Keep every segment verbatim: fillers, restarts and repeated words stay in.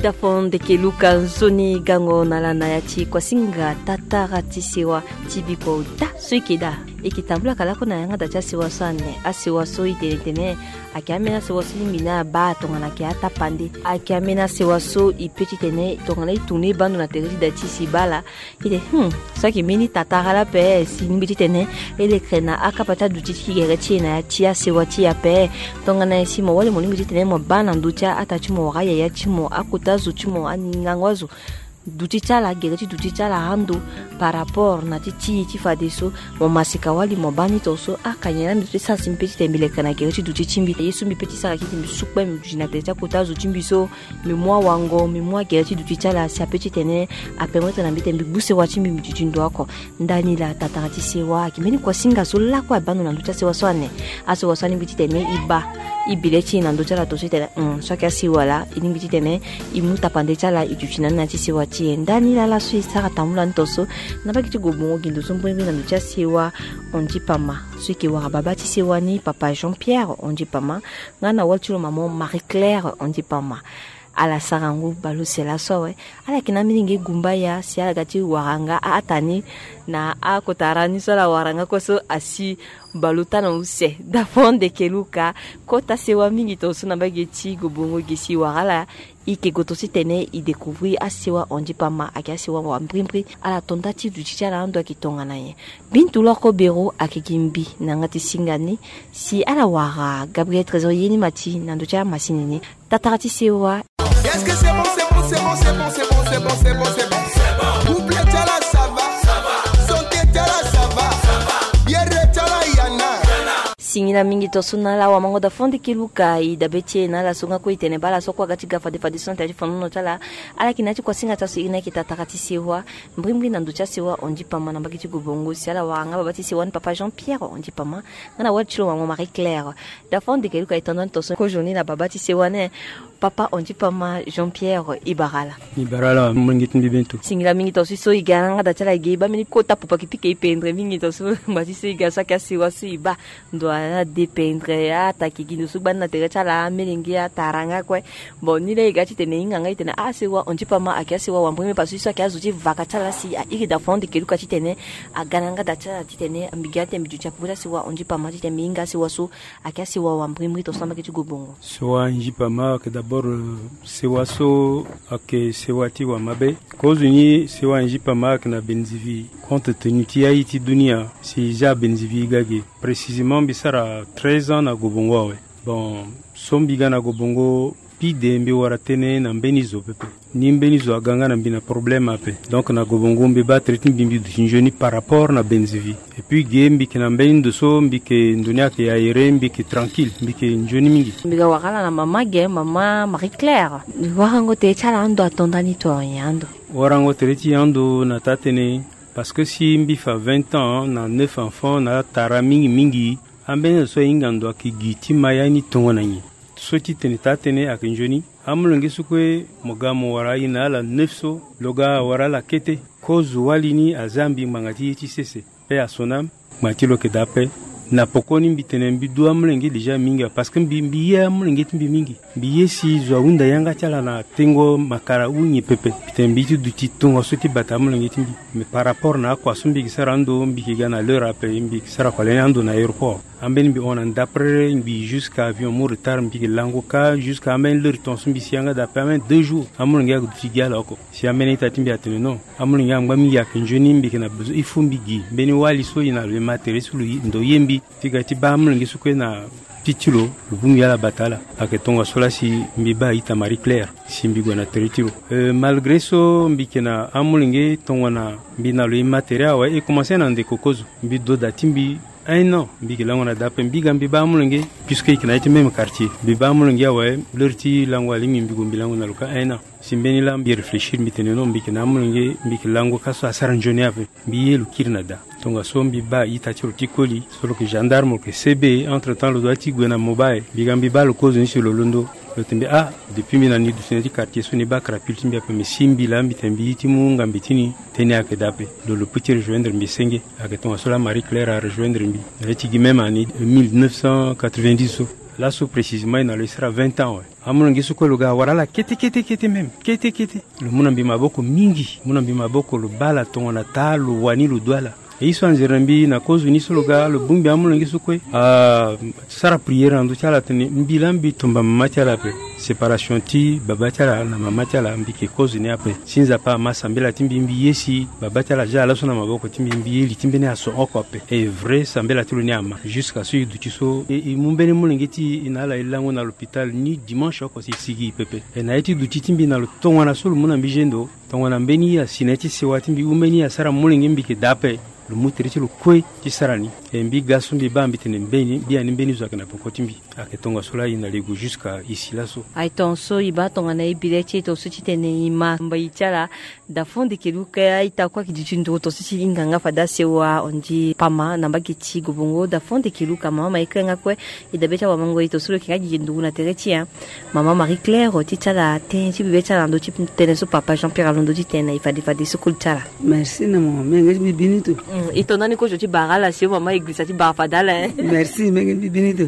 Dafo ndeke Luka, nzoni gango na ala na ya ti kuasinga tatara ti sewa ti bikua ota so e ke daa. E ke tambula ka lakue na yanga da ti asewa so ane. Asewa so e tene tene ayeke ambeni asewa so lingbi ni abaa tongana ayeke atapande. Ayeke ambeni asewa so e pe titene tongana e tourner e baa ndo na tere ti da ti e si e baa ala. Titene, hmm, so ayeke mbeni tatara la ape, si e lingbi titene e lekere na akapa ti aduti ti gere ti e na ya ti asewa ti e ape. Tongana nyen si mo wali mo lingbi titene mo baa na ndö ti a-ata ti mo wala ayaya ti mo, akota azo ti mo, angangu azo, duti ti ala, gere ti duti ti ala ando par rapport na ti ti e ti fadeso? Mo masika wali mo baa ni to so? Aka nyen la mbi duti sara si mbi pe titene mbi lekere na gere ti duti ti mbi? Ye so mbi pe ti sara titene mbi su kpe mbi duti na tere ti akota azo ti mbi so, mbi mu awango, mbi mu agere ti duti ti ala si ape titene apermettre na mbi titene mbi gbu sewa ti mbi, mbi duti ndo oko. Ndani laa, tatara ti sewa ayeke mbeni kuasinga so lakue abaa ndo na ndö ti asewa so ane. Asewa so alingbi titene e baa e bi le ti e na ndö ti ala to so e tene, hmm, so ayeke asewa laa e lingbi titene e mu tapande ti ala, e duti na ni na ya ti sewa ti e. Ndani laa laso e sara tambula ni to so na mbage ti Gobongo, gi ndo so mbirimbiri na ndö ti asewa Onzi Pama so e ke wara babâ ti sewa ni, papa Jean Pierre Onzi Pama, nga na wali ti lo mama Marie Claire Onzi Pama. Ala sara ngu baleuse laso awe. Ala yeke na amilenge gumbaya si ala ga ti wara nga a-ata ni na akota ara ni so ala wara nga kue so asi baleota na use. Dafo ndeke Luka, kota sewa mingi tongaso na mbage ti Gobongo gi si e wara ala. E ke gue tongaso titene e découvrir asewa Onzi Pama ayeke asewa wambrimbri. Ala to nda ti duti ti ala ando ayeke tongana nyen? Bintu Loko Bero ayeke gi mbi na yanga ti singa ni si ala wara Gabriel Trésor ye ni ma ti na ndö ti amasini ni. Tatara ti sewa. Est-ce que c'est bon, c'est bon, c'est bon, c'est bon, c'est bon, c'est bon, c'est bon, c'est bon. Couple ti ala, ça va, ça va. Santé ti ala, ça va, ça va. Bière ti ala, y en a. Singila mingi tongaso na ala wamango Dafo ndeke Luka. E dabe ti e na ala so nga kue e tene baa ala so kue aga ti ga fade fade so na tere ti fandono ti ala. Ala yeke na ya ti kuasinga ti aso iri ni ayeke tatara ti sewa. Mbrimbri na ndö ti asewa Onzi Pama na mbage ti Gobongo si ala wara nga babâ ti sewa ni papa Jean Pierre Onzi Pama nga na wali ti lo mama Marie Claire. Dafo ndeke Luka, e to nda ni tongaso kozo ni na babâ ti sewa ni. Papa Onzi Pama Jean Pierre, e bara ala. E bara ala, amolenge ti mbi bento. Singila mingi tongaso so e ga na yanga da ti ala, e ge e baa mbeni kota pupa kiti ke e pendre mingi tongaso. Ngba ti so e ga so ayeke asewa so e baa ndo ala dépendre, atake gi ndo so gbani na tere ti ala, amolenge atara nga kue. Bon, ni laa e ga titene e hinga nga e tene asewa Onzi Pama ayeke asewa wambrimbri parce que so ayeke azo ti vaka ti ala si a iri Dafo ndeke Luka titene aga na yanga da ti ala titene mbi ga titene mbi duti na popo ti asewa Onzi Pama titene mbi hinga asewa so ayeke asewa wambrimbri tongaso na mbage ti Gobongo. Sewa Onzi Pama ayeke d'abord, euh, sewa so ayeke sewa ti wamabe. Kozo ni sewa Onzi Pama ayeke na Benzivi. Compte tenu ti aye ti dunia si e zia Benzivi e ga ge. Précisément mbi sara treize ans na Gobongo awe. Bon, so mbi ga na Gobongo, pide mbi wara tënë na mbeni zo pepe. Ni mbeni zo aga nga na mbi na problème ape. Donc na Gobongo mbi baa tere ti mbi, mbi duti nzoni par rapport na Benzivi. Et puis ge mbi yeke na mbeni ndo so mbi yeke, ndo ni ayeke aéré, mbi yeke tranquille, mbi yeke nzoni mingi. Mbi ga wara ala na mama ge, mama Marie Claire. Warango tere ti ala ando ato nda ni to nyen ando? Warango tere ti e ando na taa tënë, parce que si mbi fa vingt ans na neuf enfants na atara mingi mingi, ambeni zo so ahinga ndo ayeke gi ti ma ya ni tongana nyen? So ti tene taa tënë ayeke nzoni. Amolenge so kue mo ga mo wara aye na ala neuf so, lo ga awara ala kete. Kozo wali ni azia mbi ngbanga ti ye ti sese. Paix à son âme. Ngbanga ti lo yeke daa ape. Na pokoni mbi tene mbi du amolenge déjà mingi awe parce que mbi, mbi ye amolenge ti mbi mingi. Mbi ye si zo ahunda yanga ti ala na tengo makara ou nyen pepe. Mbi tene mbi ye ti duti tongaso ti bata amolenge ti mbi. Mais par rapport na akua so mbi yeke sara ando, mbi yeke ga na l'heure ape, mbi yeke sara kua lani ando na aéroport. Ambeni mbi hon na ndapre, mbi jusqu'à avion mu retard, mbi yeke lango kâ jusqu'à ambeni l'heure tongaso mbi si yanga daa ape ambeni deux jours. Amolenge ayeke duti gi ala oko. Si ambeni ita ti mbi atene non, amolenge angba mingi ayeke nzoni, mbi yeke na besoin il faut mbi gi mbeni wali so e na lo e ma tere so lo ye, ndo ye mbi. Ti ga ti baa amolenge so kue na ti ti lo, lo bongbi ala bata ala. Ayeke tongaso laa si mbi baa ita Marie Claire si mbi gue na tere ti lo. Euh, malgré so mbi yeke na amolenge tongana mbi na lo e ma tere awe, e commencé na ndeko kozo. Mbi do da ti mbi un an, mbi yeke lango na da ape. Mbi ga mbi baa amolenge, puisque e yeke na ya ti même quartier. Mbi baa amolenge awe, l'heure ti lango alingbi mbi gue mbi lango na lo kâ un an. Si mbeni laa mbi réfléchir mbi tene non, mbi yeke na amolenge, mbi yeke lango kâ so asara nzoni ape. Mbi ye lo kiri na da. Tongaso mbi baa ita ti lo ti koli so lo yeke gendarme, lo yeke C B. Entre temps lo doit ti gue na mobile. Mbi ga mbi baa lo kozo ni si lo londo. Lo tene mbi ah, depuis mbi na ni duti na ya ti quartier so ni baa crapule ti mbi ape, mais si mbi laa mbi tene mbi ye ti mu ngambe ti ni, tënë ayeke daa ape. Lo, lo peut ti rejoindre mbi senge. Ayeke tongaso laa Marie Claire arejoindre mbi na ya ti gi même année mille neuf cent quatre-vingt-dix so. Laso précisément e na lo e sara vingt ans awe. Amolenge so kue lo ga awara ala kete kete kete même kete kete. Lo mu na mbi maboko mingi, mu na mbi maboko, lo baa ala tongana taa lo wani lo du ala. E ye so anzere na mbi na kozo ni so lo ga lo bongbi amolenge so kue asara prière na ndö ti ala atene mbi laa mbi tomba mama ti ala ape. Séparation ti baba ti ala na mama ti ala mbi yeke kozo ni ape. Si Nzapa ama sambela ti mbi, mbi ye si baba ti ala aza laso na maboko ti mbi, mbi ye li ti mbeni aso oko ape. E vrai, sambela ti lo ni ama. Jusqu'à so e duti so e, e mu mbeni molenge ti e na ala e lango na l'hôpital ni dimanche oko si e sigi e pepe. E na ye ti duti ti mbi na lo tongana so lo mu na mbi zendo, tongana mbeni asi na ye ti sewa ti mbi ou mbeni asara molenge mbi yeke daa ape. Lo mu tere ti lo kue ti sara ni. E mbi ga so mbi baa mbi tene mbeni, mbi ya ni mbeni zo ayeke na peko ti mbi. Ayeke tongaso laa e na lego jusqu'à e si laso. Aye tongaso e baa tongana e bi le ti e tongaso titene e ma mbai ti ala. Dafon Dekeluka, e ta kue ayeke duti nduru tongaso ti e hinga nga fade asewa, on dit pama na mbage ti Gobongo. Dafon Dekeluka, mama Marie-Claire nga kue, e dabe ti awamango e tongaso lo yeke nga gi nduru na tere ti e. Mama Marie-Claire, ti ti ala tënë ti bibe ti ala na ndö ti tënë so papa Jean-Pierre alondo ti tene na e fade fade so koli ti ala. Merci na mo, menge ti mbi bini tu. Mm, e to ndani kozo ti bara ala si o mama e girisa ti bara fade ala, hein. Merci, menge ti mbi bini tu.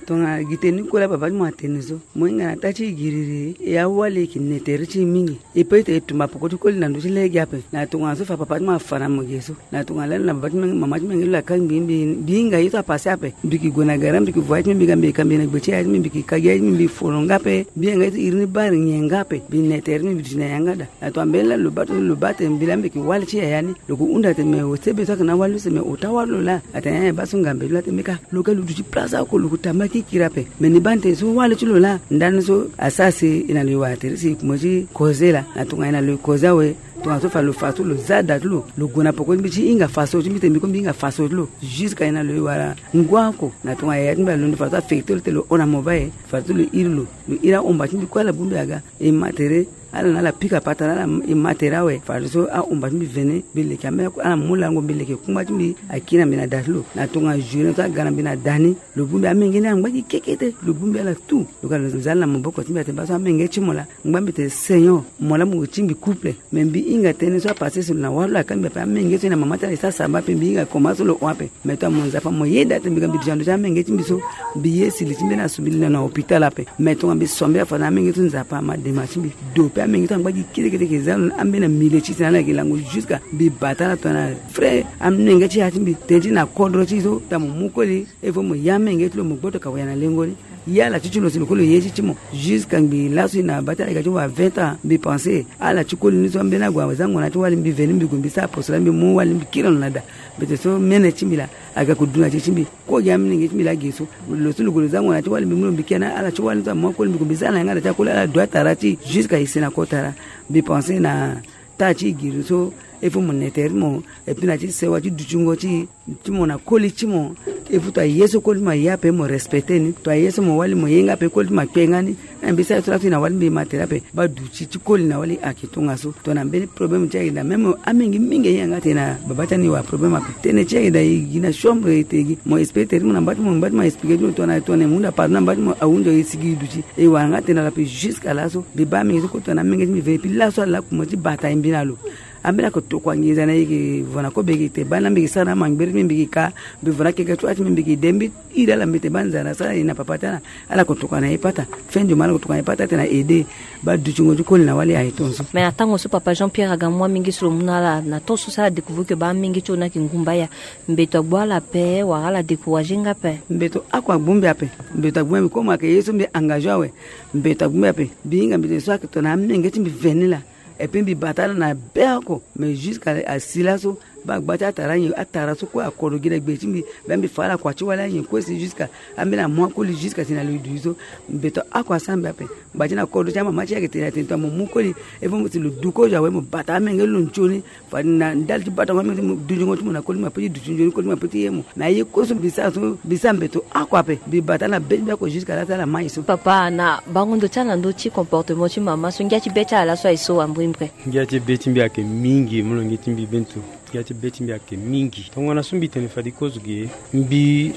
Tongana gi tënë ni kue laa papa ti mo atene so, mo hinga na taa ti e giriri, e awali e yeke ne tere ti e mingi. E peut ti e tumba peko ti koli na ndö ti lege ape. Na tongana so fa papa ti mo afa na mo ge so. Na tongana lani na baba ti menge, mama ti menge lo akangbi mbi, mbi hinga ye so apase ape. Mbi yeke gue na gara, mbi yeke voyage ti mbi, mbi ga mbi yeke kambi na gbe ti yaya ti mbi, mbi yeke ka gi yaya ti mbi, mbi folonga ape. Mbi yanga ye ti iri ni bari nyen nga ape. Mbi ne tere ti mbi, mbi duti na yanga daa. Na tongana mbeni lani lo baa ti lo baa tene mbi laa mbi yeke wali ti yaya ni. Lo yeke hunda tene me sebe so ayeke na awali lo si me ota awali lo laa. Atene eh baa so ngambe ti lo laa tene mbi ka. Lo ga lo duti place oko lo yeke tamba kikiri ape. Me ni baa ni tene so wali ti lo laa. Ndani so asara si e na lo e wara tere si e kuma ti koze laa. Na tongana e na lo e koze awe. Tongana so fa lo fa so lo za da ti lo, lo gue na peko ti mbi ti hinga fa so ti mbi tene mbi kue mbi hinga fa so ti lo. Jusqu'à e na lo e wara ngu oko. Na tongana yaya ti mbi alondo fa so afekte lo tene lo hon na mo baa e. Fa so lo iri lo. Lo iri ahomba ti mbi kue ala bongbi aga. E ma tere. Ala na ala pika patara ala e ma tere awe. Fadeso ahomba ti mbi vene mbi leke ambeni ala mu lango mbi leke kungba ti mbi. Akiri na mbi na da ti lo na tongana journée so aga na mbi na da ni. Lo bongbi amenge ni angba gi kekete. Lo bongbi ala tout. Lo ga lo za ala na maboko ti mbi atene baa so amenge ti mo laa. Ngba mbi tene seigneur mo laa mo ti mbi couple. Me mbi hinga tënë so apase si lo na wali lo akangbi ape amenge so e na mama ti ala e sara samba ape mbi hinga koma so lo hon ape. Me tongana mo Nzapa mo yeda tene mbi ga mbi duti na ndö ti amenge ti mbi so. Mbi ye si li ti mbeni asu mbi li na na hôpital ape. Me tongana mbi sambela fa na amenge so Nzapa ama dema ti mbi. Do pe amenge so angba gi kete kete yeke za lo na ambeni amile ti si na ala yeke lango jusqu'à mbi bata ala tongana vrai amenge ti ya ti mbi. Tënë ti na kodro ti so tongana mo mu koli. Il faut mo ya amenge ti lo mo gboto ka waya na lengo ni. Ya ala ti ti lo si lo kue lo ye ti ti mo. Jusqu'à ngbii laso e na bata ala yeke ti wara vingt ans mbi pense ala ti koli ni so ambeni ague azango na ti wali mbi veni mbi gue mbi sara poso laa mbi mu wali mbi kiri lo na da. Mbete so mene ti mbi laa aga ko du na ti ti mbi. Kue gi amolenge ti mbi laa ge so lo so lo gue lo zango na ti wali mbi mu lo mbi kiri na ala ti wali ni so amu akoli mbi gue mbi za na yanga da ti akoli ala du atara ti jusqu'à e si na kota laa. Mbi pense na taa ti e giri so. Il faut mo ne tere ti mo. Et puis na ti sewa ti dutingo ti ti mo na koli ti mo. Il faut to aye so koli ti mo aye ape mo respecte ni to aye so mo wali mo ye nga ape koli ti mo akpe nga ni. Mbi sara so laa so e na wali mbi ma tere ape. Baa duti ti koli na wali ayeke tongaso. Tongana mbeni problème ti ayeke daa même amenge mingi ahinga nga atene na baba ti ani e wara problème ape. Tënë ti ayeke daa e gi na chambre e te gi mo expliqué tere ti mo na mba ti mo mba ti mo expliqué ti mo tongana tongana e hunda pardon na mba ti mo ahunzi e sigi e duti. E wara nga atene na lo ape jusqu'à laso. Mbi baa amenge so kue tongana amenge ti mbi ve et puis laso ala laa kuma ti bata e mbi na lo. Ambeni ako tokua nginza na e yeke vo na kobe yeke te baa na mbi yeke sara na amangbere ti mbi mbi yeke ka. Mbi vo na keke ti wâ ti mbi mbi yeke de mbi iri ala mbi te baa nzara sara e na papa ti ala. Ala ko tokua na e pata. Fin du mois ala ko tokua na e pata atene na aide. Baa dutingo ti koli na wali aye tongaso. Mais na tango so papa Jean Pierre aga mu amenge so lo mu na ala na temps so si ala découvrir ke baa amenge ti lo ni ayeke ngumba aya. Mbeto agbu ala ape wala ala décourager nga ape? Mbeto ako agbu mbi ape. Mbeto agbu mbi comme ayeke ye so mbi engagé awe. Mbeto agbu mbi ape. Mbi hinga mbi tene so ayeke tongana amenge ti mbi veni laa. Et puis mbi bata ala na be oko. Mais jusqu'à asi laso baa gba ti atara nyen atara so kue akodro gi na gbe ti mbi. Baa mbi fa ala kua ti wali anyen kue si jusqu'à ambeni amu akoli jusqu'à si na lo e du so. Mbeto ako asara mbi ape. Ngba ti na kodro ti amama ti e ayeke tene atene tongana mo mu koli. Il faut mo si lo du kozo awe mo bata amenge ti lo nzoni. Fade na ndali ti batango amenge ti mo dutingo ti mo na koli ti mo ape ti duti nzoni koli ti mo ape ti ye mo. Mais aye kue so mbi sara so mbi sara mbeto ako ape. Mbi bata ala be ti mbi ako jusqu'à laso ala mai so. Papa na bango ndo ti ala na ndö ti comportement ti mama so ngia ti be ti ala laso aye so wambrimbre? Ngia ti be ti mbi ayeke mingi molenge ti mbi bento. Ngia ti be ti mbi ayeke mingi tongana so mbi tene fade kozo ge. Mbi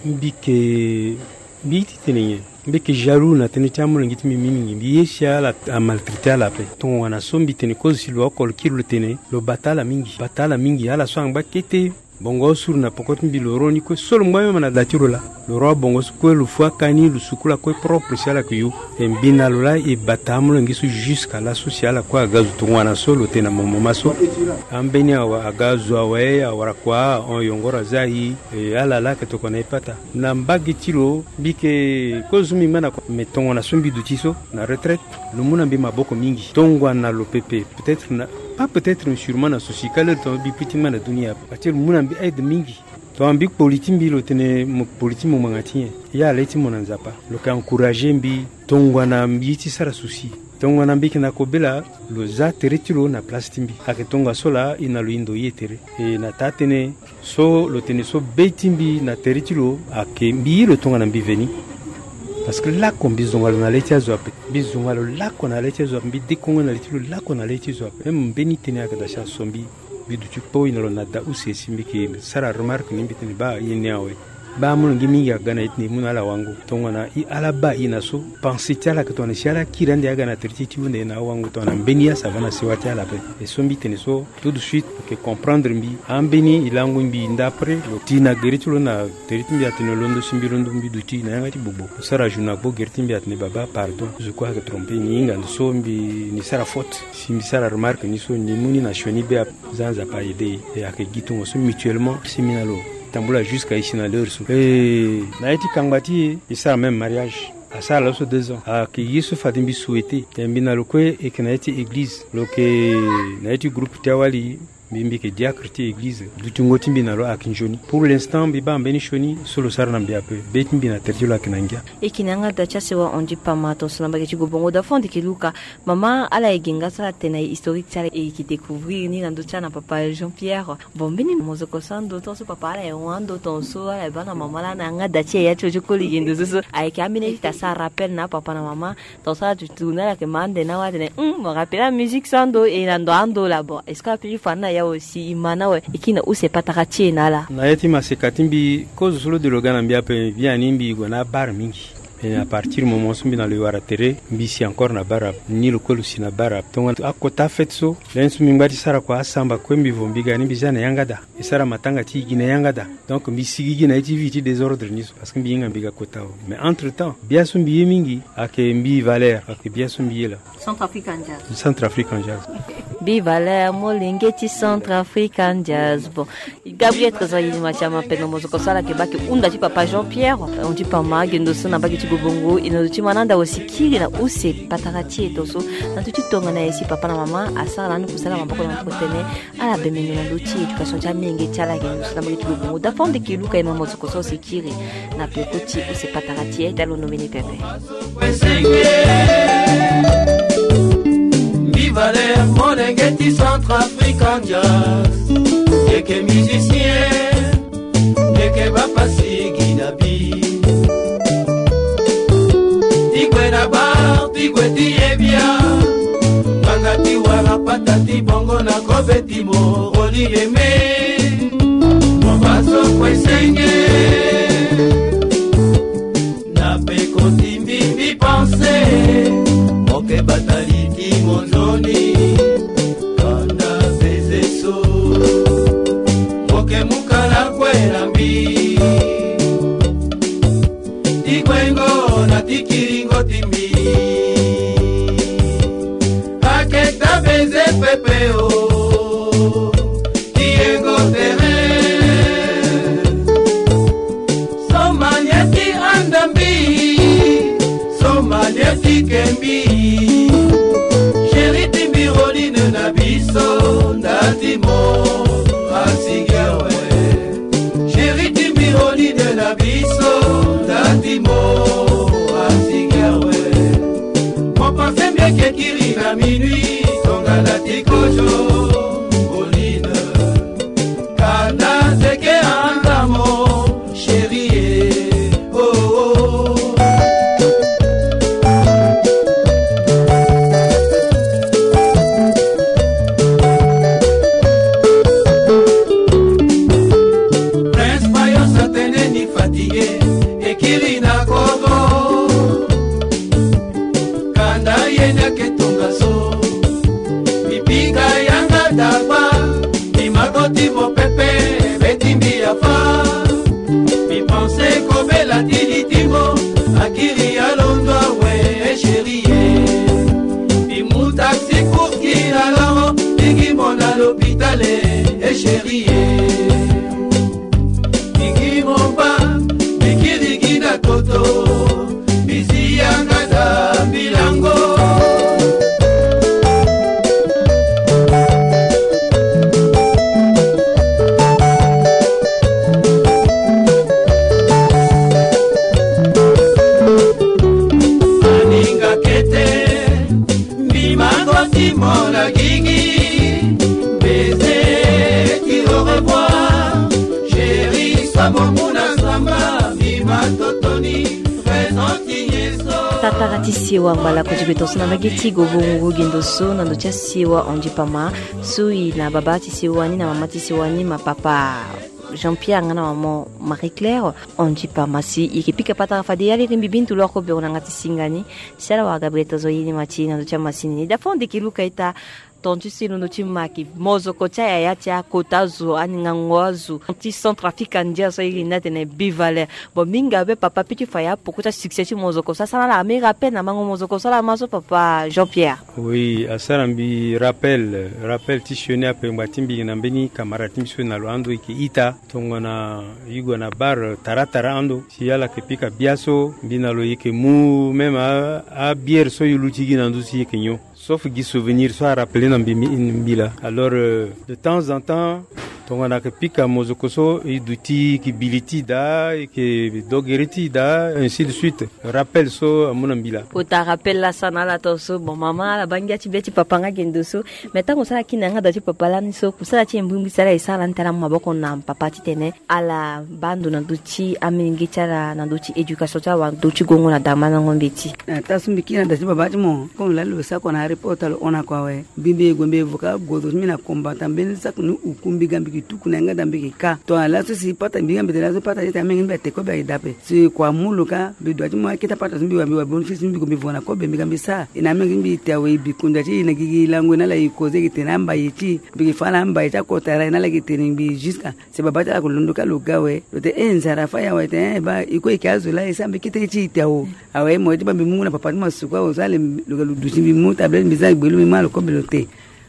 mbi yeke mbi ye ti tene nyen? Mbi yeke jaloux na tënë ti amolenge ti mbi mingi. Mbi ye si ala amaltraité ala ape. Tongana so mbi tene kozo si lo oko lo kiri lo tene lo bata ala mingi bata ala mingi ala so angba kete. Bongo asuru na poko ti mbi, lo ro ni kue so lo ngba même na da ti lo laa. Lo ro abongo so kue, lo fu akani, lo sukula kue propre si ala yeke yo. E mbi na lo laa e bata amolenge so jusqu'à laso si ala kue aga zo tongana so lo tene na mo mama so. Ambeni awa aga zo awe, awara kua ahon yongoro aza e. E ala laa ayeke tokua na e pata. Na mbage ti lo mbi yeke kozo so mbi ngba na kua. Me tongana so mbi duti so na retraite, lo mu na mbi maboko mingi. Tongana lo pepe, peut-être na, pas peut-être, mais sûrement na souci ka lere tongana mbi pui ti ngba na dunia. Parce que lo mu na mbi aide mingi. Tongana mbi kpoli ti mbi, lo tene mo kpoli ti mo ngbanga ti nyen? Ya le ti mo na Nzapa. Lo yeke encourager mbi. Tongana mbi ye ti sara souci, tongana mbi yeke na kobela, lo za tere ti lo na place ti mbi. Ayeke tongaso laa e na lo e ndo ye tere. E na taa tënë so lo tene so be ti mbi na tere ti lo ayeke mbi ye lo tongana mbi veni. Parce que lako mbi zonga lo na le ti azo ape. Mbi zonga lo lako na le ti azo ape. Mbi dekongo na le ti lo lako na le ti zo ape. Même mbeni tënë ayeke daa si aso mbi. Mbi duti kpo e na lo na da use si mbi yeke sara remarque ni, mbi tene baa e ni awe. Baa amolenge mingi aga na e ti na e mu na ala wango. Tongana e ala baa e na so, pensée ti ala ayeke tongana si ala kiri ande aga na tere ti e ti hunda e na awango tongana mbeni ya ça va na sewa ti ala ape. E so mbi tene so, tout de suite, ayeke comprendre mbi. Ambeni e lango mbi nda après, lo ti na gere ti lo na tere ti mbi atene londo si mbi londo mbi duti na yanga ti gbogbo. Lo sara journée agbo gere ti mbi atene baba pardon. Zo kue ayeke tromper ni hinga ndo so mbi ni sara faute. Si mbi sara remarque ni so ni mu ni na sioni be ape. Za Nzapa aide e. E ayeke gi tongaso mutuellement si mbi na lo tambula jusqu'à e si na l'heure so. E na ye ti kangba ti e, e sara même mariage. Asara laso deux ans. Ayeke ye so fade mbi souhaiter. E mbi na lo kue e yeke na ye ti église. Lo yeke na ye ti groupe ti awali. Mbi mbi yeke diacre ti église. Dutingo ti mbi na lo ayeke nzoni. Pour l'instant mbi baa mbeni sioni so lo sara na mbi ape. Be ti mbi na tere ti lo ayeke na ngia. E yeke na yanga daa ti asewa Andy Pama tongaso na mbage ti Gobongo, da fo ande yeke luka. Mama, ala e ge nga so ala tene na e historique ti ala e yeke découvrir ni na ndö ti ala na papa Jean Pierre. Bon, mbeni mozoko so ando tongaso papa ala e hon ando tongaso ala e baa na mama laa na yanga daa ti e ya ti lo ti koli ge ndo so so. Ayeke ambeni ti ta sara rappel na apapa na mama. Tongaso ala duti tourner ala yeke ma ande na awa atene hum, mo rappel amusique so ando e na ndo ando laa. Bon, est-ce que ala peut ti fa ni na e awe si e ma ni awe e kiri na use patara ti e na ala? Na ya ti maseka ti mbi kozo so lo de lo ga na mbi ape biani mbi gue na abare mingi. E à partir moment so mbi na lo e wara tere, mbi si encore na bara ape. Ni lo kue lo si na bara ape. Tongana akota afete so, lani so mbi ngba ti sara kua asamba kue mbi vo mbi ga ni mbi za na yanga daa. E sara matanga ti e gi na yanga daa. Donc mbi si gigi na ye ti vie ti désordre ni so parce que mbi hinga mbi ga kota awe. Mais entre temps bia so mbi ye mingi ayeke mbi valeur, ayeke bia so mbi ye laa. Centrafrican Jazz. Centrafrican Jazz. Mbi valeur molenge ti Centrafrican Jazz. Bon, Gabriel Trésor Yilima Thiam, pendon mozoko so ala yeke baa ayeke hunda ti papa Jean Pierre Andy Pama, ge ndo so na mbage ti Gobongo. E na ndo ti mananda awe si kiri na use patara ti e tongaso. Na ndö ti tongana e si papa na mama asara lani kusala maboko na ndö ti tene. Ala bembe ndo na ndö ti éducation ti amenge ti ala ge ndo so na mbage ti Gobongo. Da fo ande yeke luka e na mozoko so si kiri na peko ti use patara ti e. Da londo mbeni pepe. Mbi valeur molenge ti Centrafrican Jazz. Yeke musicien, yeke bapasi gi na bi. Ti gue na bar, ti gue ti ye bia. Ngbanga ti wara pata ti bongo na kobe ti mo oli eme. Mo baso kue senge. Na peko ti mbi mbi pense, mo ke bata li ti mo nzoni. Kanda baiser so, mo ke mu kala kue na mbi. Ti guengo na ti kiringo ti mbi. Aketa baiser pepe o. Ti yengo tere. So manie ti anda mbi. So manie ti ke mbi. Chéri ti mbi Roline na biso nda ti mo. Asigi awe. Chéri ti mbi Roline na biso nda ti mo. Asigi awe. Mo passe mbi eke kiri na minuit. Tongana ti kozo. Roline. Kana zeke anda mo, chérie, eh, oh, oh. Prince Payos atene ni fatigué, ekiri na kozo. Kanda ye ni ake tongaso. Mipika yanga dagba. Mimako ti mopepe, beti Papa, mi pense kobela ti litimbo, akiri alondo awe, e chérie. Mi mu taxi kurki na laro, mi gi mo na l'hôpital, e chérie. Mi gi mo mba, mi kiri gi na koto, mi si yanga da mbilango. Aninga kete, mbi mango ti mona gingi, baiser ti au revoir, chérie, somo muna samba, mbi ma totoni, présent ti nyeso. Tatara ti sewa ngbalako ti beto so na mbage ti gogo ngugu gendo so na ndo ti asewa Andy Pama, so e na baba ti sewa ni na mama ti sewa ni ma papa Jean-Pierre nga na maman Marie-Claire. Andy Pama si e yeke pika patara fade ya lege mbi bintu loko bero na yanga ti singa ni. Si ala wara Gabriel Tozo ye ni ma ti e na ndo ti amasini ni. Dafa onde ke luka ita. Tontu si londo ti ma yeke mozoko ti ayaya ti akota azo, aningango azo ti Centrafrique, andia so e iri ni atene Bivaler. Bon, mingi abe papa, peut ti fa ya poko ti asuccès ti mozoko so asara ala, ami rappel na mango mozoko so ala ma so papa Jean-Pierre. Oui, asara mbi rappel, rappel ti sioni ape ngba ti mbi na mbeni camarade ti mbi so na lo ando e yeke ita. Tongana e gue na bar tara tara ando, si ala yeke pika bia so, mbi na lo e yeke mu même a, abiere so e luti gi na nduzu e yeke nyon. Sauf gi souvenir so arappele na mbi, mbi, mbi laa. Alors, euh, de temps en temps, tongana ayeke pika mozoko so, e duti e yeke bili ti e daa, e yeke dogere ti e daa, ainsi de suite. Rappel so amu na mbi laa. Kota rappel laa asara na ala tongaso. Bon, mama, ala baa ngia ti be ti papa nga gendo so. Mais tango so ala kiri na yanga da ti papa lani so, kusala ti e mbrimbri si ala e sara lani ti ala mu maboko na papa titene ala baa ndo na ndo ti amolenge ti ala na ndo ti éducation ti ala wala ndo ti gongo na damandango mbeti. Na taa so mbi kiri na da ti baba ti mo, comme laa lo sara oko na aéroport, lo hon na oko awe. Mbi mbi e gue mbi e vo ka agozo ti mbi na combattant mbeni saki ni uku mbi ga mbi ke tuku na yanga da mbi ke ka. Tongana laso si pata mbi ga mbi tene laso pata ti tene amenge mbi ate kobe ayeke daa ape. Si kua mu lo ka mbi dua ti mu akete pata so mbi wa mbi wa bénéfice mbi gue mbi vo na kobe mbi ga mbi sara. E na amenge mbi te awe e bi konda ti e na gigi lango e na ala e koze e ke tene ambaye ti e. Mbi ke fa ala ambaye ti akota ra e na ala e ke tene mbi jusqu'à. Si baba ti ala ko londo ka lo ga awe, lo tene e nzara fâ e awe, e tene e baa e kue e yeke azo laa e sara mbi kete ti e te awo. Awe mo ye ti baa mbi mu na papa ti mo asuku awo so ale lo ga lo duti mbi mu tablette mbi za gbe lo mbi mu na lo kobe lo te.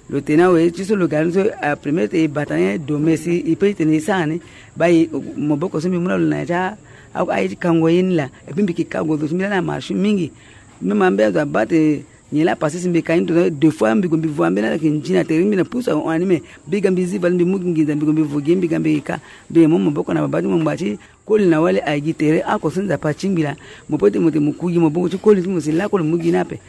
Lo tene awe ti so lo ga ni so, a premier tene e bata ni do mais si e peut ti tene e sara ni. Baa e maboko so mbi mu na lo na ya ti a, aye ti kango ye ni laa. Et puis mbi yeke ka gozo ti mbi laa na marché mingi. Même ambeni azo abaa tene nyen laa passé si mbi ka ni tongaso deux fois mbi gue mbi vo ambeni ala yeke nzi na tere ti mbi na pusu ahon na ni me. Mbi ga mbi zi vali mbi mu gi nginza mbi gue mbi vo gi mbi ga mbi yeke ka. Mbi yeke mu maboko na babâ ti mo ngba ti koli na wali aye gi tere oko so Nzapa atingbi laa. Mo peut ti mo tene mo ku gi maboko ti koli ti mo si lakue lo mu gi ni ape.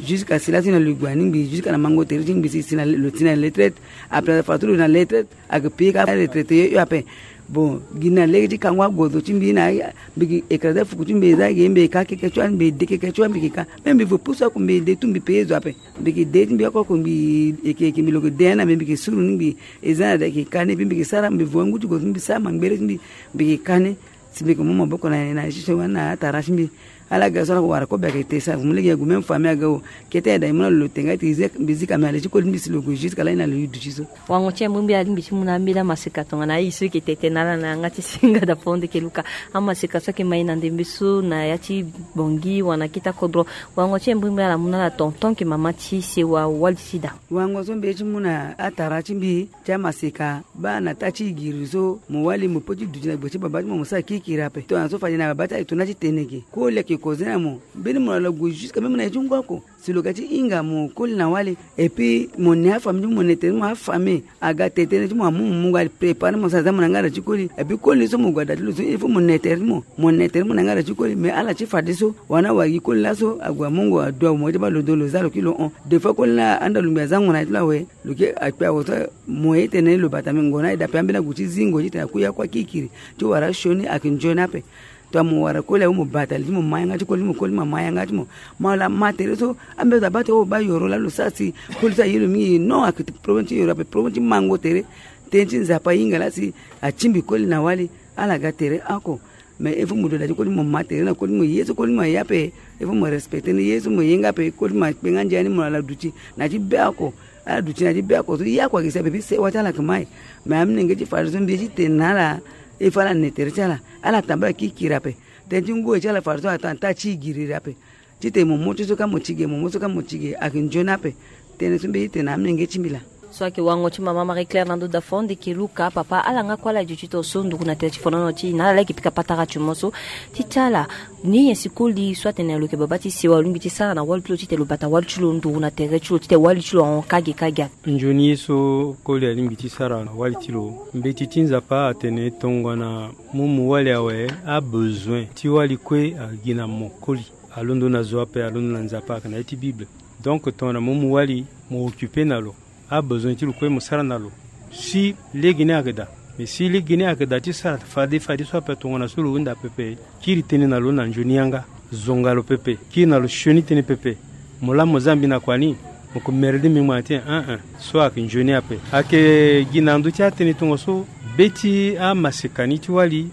Jusqu'à si laso e na lo e gue na ni ngbii jusqu'à na mango tere ti ngbii si si na lo ti na retraite. Après fa so lo na retraite. Ayeke payé ka retraité yo yo ape. Bon gi na lege ti kango agozo ti mbi na mbi gi écrasé fuku ti mbi e za gi mbi e ka keke ti wani mbi e de keke ti wani mbi gi ka. Me mbi vo pusu oko mbi e de tu mbi payé zo ape. Mbi gi de ti mbi oko oko mbi e ke e ke mbi lo gi de ni na mbi mbi gi suru ni mbi e za na da e ke ka ni e pe mbi gi sara mbi vo angu ti go ti mbi sara mangbere ti mbi. Mbi gi ka ni. Si mbi yeke mu maboko na na ye ti so wani na atara ti mbi. Ala ga so ala ko wara kobe ayeke te sara fu mu lege ague même famille aga o. Kete ayeda e mu na lo lo te nga ti zi mbi zi ka me ale ti koli mbi si lo gue jusque ala ye na lo e duti so. Wango ti e mbi mbi ala ti mbi ti mu na ambeni amaseka tongana aye so e ke tete na ala na yanga ti singa da fo nde ke luka. Amaseka so ayeke ma e na ndembe so na ya ti bongi wala na kete akodro. Wango ti e mbi mbi ala mu na ala tonton ke mama ti sewa wali ti da. Wango so mbi ye ti mu na atara ti mbi ti amaseka. Baa na taa ti giri so mo wali mo peut ti duti na gbe ti babâ ti mo mo sara kirikiri ape. Tongana so fade na babâ ti ala e tona ti tene ge koli ayeke koze na mo. Mbeni mo na lo gue jusque même na ye ti ngu oko. Si lo ga ti hinga mo koli na wali. Et puis mo ne afamille ti mo mo ne tere ti mo afamille. Aga tene tënë ti mo amu mo mu ga préparé mo sara za mo na yanga da ti koli. Et puis koli so mo gue ada ti lo so il faut mo ne tere ti mo. Mo ne tere ti mo na yanga da ti koli mais ala ti fadeso. Wani awara gi koli laso ague amongo adu awe mo ye ti baa lo do lo za lo kiri lo hon. Des fois koli ni anda lungbi azango na ye ti lo awe. Lo ke akpe awo so mo ye ti tene lo bata mbi ngo na e dape ambeni agu ti zingo ti tene akui akua kirikiri ti wara asioni ayeke nzoni ape. Tongana mo wara koli awe mo bata li ti mo ma yanga ti koli ti mo koli ti mo ma yanga ti mo. Mo ala ma tere so ambeni azo abaa ti o baa yoro laa lo sara si koli so aye lo mingi non ayeke problème ti yoro ape problème ti mango tere. Tënë ti Nzapa ahinga laa si atingbi koli na wali. Ala ga tere oko. Mais il faut mo duti na da ti koli ti mo ma tere na koli ti mo ye so koli ti mo aye ape. Il faut mo respecté ni ye so mo ye nga ape koli ti mo akpe nga ndia ni mo na ala duti na ya ti be oko. Ala duti na ya ti be oko so ye oko ayeke si ape puis sewa ti ala ayeke ma e. Mais amolenge ti fade so mbi ye ti tene na ala. E fa ala ne tere ti ala, ala tambula kiri kiri ape. Tënë ti ngu e ti ala fade so atene ata ti giriri ape. Titene mo mo ti so ka mo ti ge, mo mo so ka mo ti ge, ayeke nzoni ape. Tënë so mbeni ti tene na amolenge ti mbi laa. So ayeke wango ti mama Marie Claire na ndo Daphonde Keluka, papa ala nga kue ala duti tongaso nduru na tere ti fonono ti e na ala laa e yeke pika patara ti mo so ti ti ala. Ni nyen si koli so atene lo yeke baba ti sewa, lo lingbi ti sara na wali ti lo titene lo bata wali ti lo nduru na tere ti lo titene wali ti lo ahon kage kage? Nzoni ye so koli alingbi ti sara na wali ti lo, mbeti ti Nzapa atene tongana mo mu wali awe, abezoin ti wali kue agi na mo koli. Alondo na zo ape, alondo na Nzapa, ayeke na ya ti Bible. Donc tongana mo mu wali, mo occupe na lo, abezoin ti lo kue mo sara na lo. Si legeni ayeke daa. Mais si legeni ayeke daa ti sara fade fade so ape, tongana so lo hunda pepe, kiri tënë na lo na nzoni yanga, zonga lo pepe, kiri na lo sioni tënë pepe. Mo laa mo za mbi na kua ni, mo yeke mere de mbi ngbanga ti nyen? Hein, hein. So ayeke nzoni ape. Ayeke gi na ndö ti atënë tongaso, be ti amaseka ni ti wali,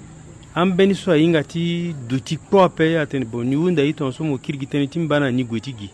ambeni so ahinga ti duti kpo ape, atene bon, ni hunda ye tongaso mo kiri gi tënë ti mba na ni gue ti gi.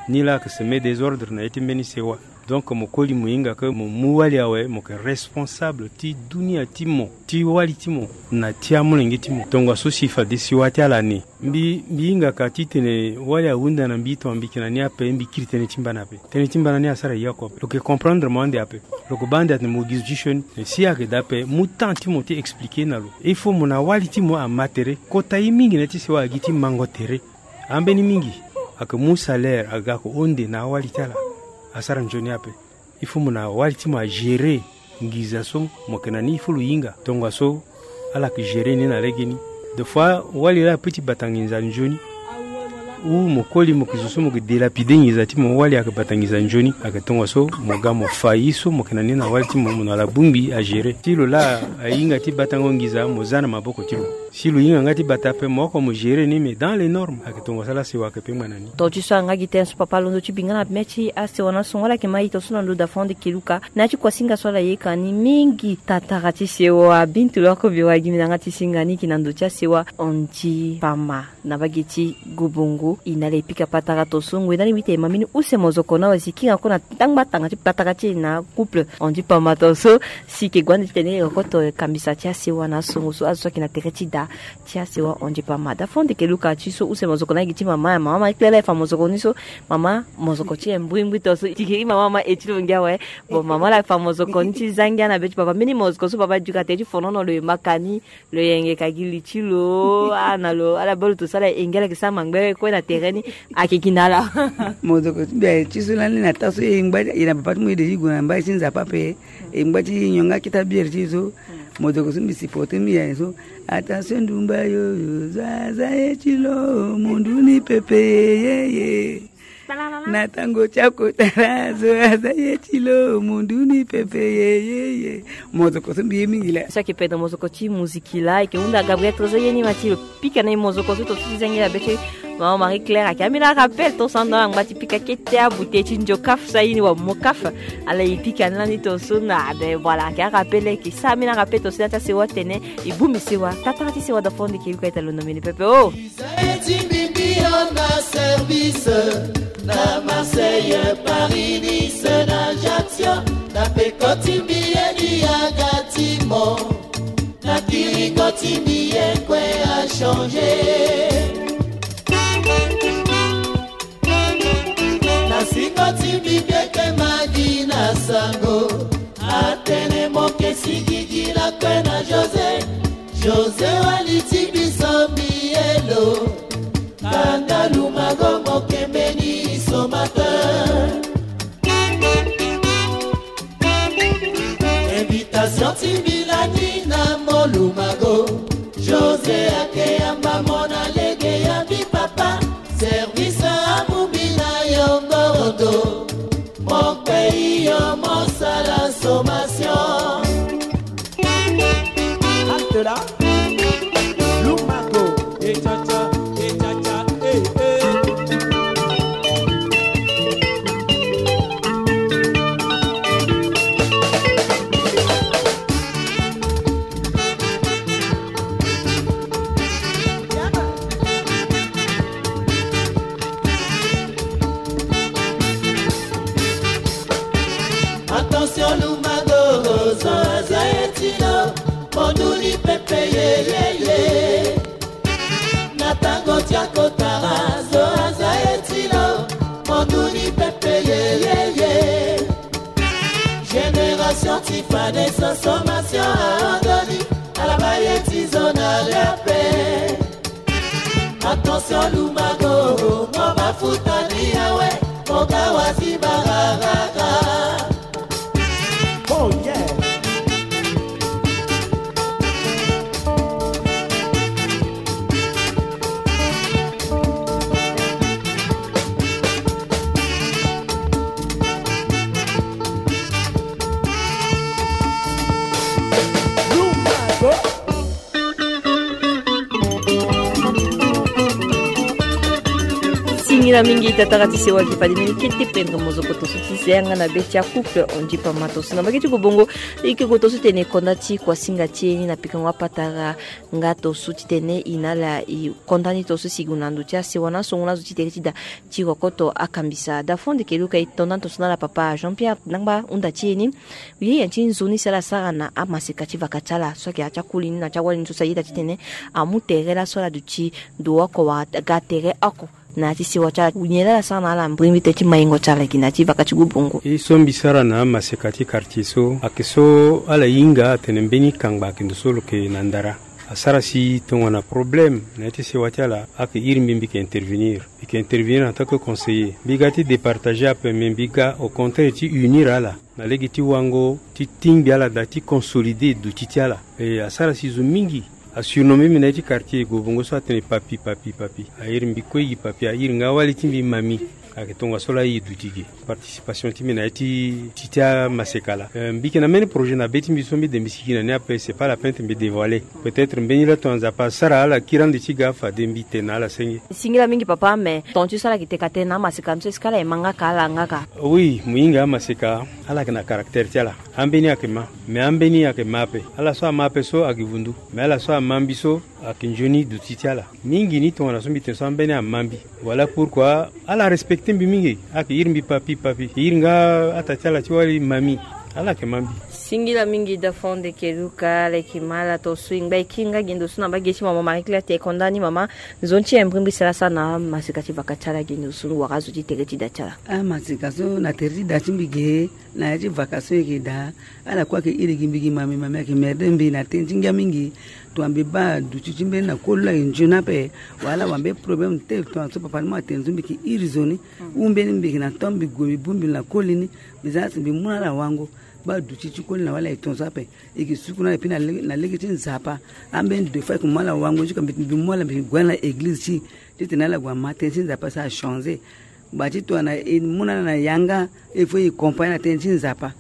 Ni laa ayeke semer désordre na ya ti mbeni sewa. Donc mo koli mo hinga ke mo mu wali awe, mo yeke responsable ti dunia ti mo, ti wali ti mo, na ti amolenge ti mo. Tongaso si fade sewa ti ala ni. Mbi, mbi hingaka titene wali ahunda na mbi, tongana mbi yeke na ni ape, mbi kiri tënë ti mba na ape. Tënë ti mba na ni asara ye oko ape. Lo yeke comprendre mo ande ape. Lo yeke baa ande atene mo gi zo ti sioni. Mais si ayeke daa ape, mu temps ti mo ti expliquer na lo. Il faut mo na wali ti mo ama tere. Kota ye mingi na ya ti sewa agi ti mango tere. Ambeni mingi, ayeke mu salaire aga ko onde na awali ti ala. Asara nzoni ape. Il faut mo na wali ti mo agérer nginza so mo yeke na ni, il faut lo hinga. Tongaso ala yeke gérer ni na legeni. Des fois wali laa apeut ti bata nginza nzoni. Ou mo koli mo yeke zo so mo yeke délapider nginza ti mo, wali ayeke bata nginza nzoni. Ayeke tongaso mo ga mo fa ye so mo yeke na ni na wali ti mo, mo na ala bongbi agérer. Ti lo laa ahinga ti batango nginza, mo za na maboko ti lo. Si lo hinga nga ti bata ape, mo oko mo gérer ni, mais dans les normes. Ayeke tongaso ala sewa ayeke pe ngbanga na ni. Tonga ti so anga gi tënë so papa alondo ti bi nga na mê ti asewa na asungo, ala yeke ma e tongaso na ndo Daphonde Keluka. Na ya ti kuasinga so ala yeke ni mingi, tatara ti sewa, bintu lo oko mbi wara gi mbi na yanga ti singa ni, e yeke na ndo ti asewa Andy Pama na mbage ti Gobongo. E na ala e pika patara tongaso, ngoi na ala e witi e ma mbeni use mozoko na awe si e kiri nga kue na tangba tanga ti patara ti e na couple Andy Pama tongaso. Si e yeke gue ande titene e koto kambisa ti asewa na asungo so, azo so ayeke na tere ti da ti asewa Andy Pama. Daphonde Keluka, ti so use mozoko na gi ti mama, mama Marie Claire laa e fa mozoko ni so, mama, mozoko ti e mbrimbri tongaso. E yeke gi mama ma e ti lo ngia awe. Bon, mama laa e fa mozoko ni ti zangia na be ti papa. Mbeni mozoko so papa e duka tere ti fonono, lo yembaka ni, lo yengeka gi li ti lo, ah, na lo, ala baa lo tongaso ala e ngia, ala yeke sara mangbere kue na tere ni. Ayeke gi na ala. Mozoko ti mbi aye ti so lani na taa so e ngba, e na papa ti mo e de ti gue na mbai ti Nzapa ape. E ngba ti nyon nga keta biere ti e so. Mozoko so mbi supporter mbi aye so. Attention ndumba yo, yo, zo aza ye ti lo, mundu ni pepe, ye, ye. Na tango ti akotara, zo aza ye ti lo, mundu ni pepe, ye, ye, ye. Mozoko so mbi ye mingi laa. So ayeke pede mozoko ti muziki laa, e yeke hunda Gabriel Trésor ye ni ma ti lo pika na e mozoko so tongaso ti zangi na be ti mama Marie Claire. Ayeke ambeni arappel tongaso ando angba ti pika kete abute ti nzo kaf so aye ni wa mo kaf. Ala e pika ni lani tongaso na, ah ben voilà, ayeke arappel, e yeke sara ambeni arappel tongaso na ya ti asewa atene e bongbi sewa, tatara ti sewa Daphonde Keluka, e ta londo mbeni pepe o. Ti mbi mbi yo na service na Marseille, Paris, Nice, na Ajaccio, na peko ti mbi ye ni aga ti mo. Na kirigo ti mbi ye kue a changer. Na singo ti mbi mbi yeke magi na sango. Atene mo ke sigigi lakue na José. José wali ti biso mbi ye lo. Kanda lumago mo ke mbeni somateur. Invitation ti mbi lani na mo lumago. José ayeke yamba mo na lege ya mbi papa. Service amu mbi na yo ngorodo. Mon pays yo mo sala sommation. Halte là. Lumago. Eh, cha, cha, eh, cha, cha, eh, eh. Attention, Lumago, zo aza ye ti lo, monduli pepe. Tant ti fade consommation aodoni, ala ba ye ti zo na lia pe. Attention lumago, mo ba futa ni awe, mo ga wa si bararara. Oh yeah. Singila mingi tatara ti sewa ki fade mbeni kete pendre mozoko toso ti zenga na be ti akouple ondipa ma toso na mbage ti gobongo. Ike go toso tene konda ti kuasinga ti e ni na pikango apatara. Nga toso ti tene i na ala i konda ni toso si gue na ndo ti asewa na songo na zo ti tere ti da ti rokoto akambisa da fond ke luka i tonda ni toso na ala papa Jean Pierre nangba hunda ti e ni. Ye ya ti nzoni si ala sara na amaseka ti vaka ti ala so ayeke ya ti akoli ni na ti awali ni so si ayeda ti tene amu tere laso ala duti ndo oko wala ga tere oko. Na ya ti sewa ti ala nyen laa ala sara na ala mbirimbiri tënë ti maingo ti ala gi na ya ti vaka ti gobongo. E so mbi sara na amaseka ti quartier so ayeke so ala hinga atene mbeni kangba ayeke ndo so lo yeke na ndara. Asara si tongana problème na ya ti sewa ti ala ayeke iri mbi mbi yeke intervenir. Mbi yeke intervenir en tant que conseiller. Mbi ga ti départager ape, mais mbi ga au contraire ti unir ala na lege ti wango ti tingbi ala daa ti consolider duti ti ala. E asara si zo mingi asurnommé mbi na ya ti quartier gobongo so atene papi papi papi. Airi mbi kue gi papi, airi nga awali ti mbi mami. Ayeke tongaso laa e duti ge. Participation ti mbi na ya ti ti ti amaseka laa. Eh, mbi yeke na mbeni projet na be ti mbi so mbi de mbi sigi na ni ape, c'est pas la peine ti mbi dévoiler. Peut-être mbeni laa tongana Nzapa asara ala kiri ande ti ga fade mbi tene na ala senge. Singila mingi papa, mais ton ti so ala yeke teka tënë na amaseka ni so est-ce que ala ye ma nga ka ala nga ka? Oui, mo hinga amaseka ala yeke na caractère ti ala. Ambeni ayeke ma, mais ambeni ayeke ma ape. Ala so ama ape so ayeke vundu, mais ala so ama mbi so ayeke nzoni duti ti ala. Mingi ni tongana so mbi tene so ambeni ama mbi. Voilà pourquoi ala respecté mbi mingi. Ayeke iri mbi papi papi, iri nga ata ti ala ti wali mami. Ala yeke ma mbi. Singila mingi da fond ke luka, ala yeke ma ala to so e ngba e kiri nga gi ndo so na mbage ti mama Marie Claire ti e konda ni mama. Nzoni ti e mbirimbiri si ala sara na amaseka ti vaka ti ala gi ndo so wara azo ti tere ti da ti ala. Amaseka so na tere ti da ti mbi ge. Na ya ti vaka so e yeke daa, ala kue ayeke iri gi mbi gi mami, mami ayeke merde mbi na tënë ti ngia mingi. Tongana mbi baa duti ti mbeni na koli lo ayeke nzoni ape, wala ala wara mbeni problème te, tongana so papa ti mo atene so mbi yeke iri zo ni. Ou mbeni mbi yeke na temps mbi gue mbi bongbi lo na koli ni, mbi za na si mbi mu na ala wango. Baa duti ti koli na wala e tongaso ape. E yeke suku na ala epui na lege ti Nzapa. Ambeni deux fois e yeke mu ala wango jusqu'à mbi mbi mu ala mbi yeke gue na ala na église ti, titene ala gue ama tënë ti Nzapa si achanger. Gba ti tongana e mu na ala na yanga, il faut e compagne na tënë ti Nzapa.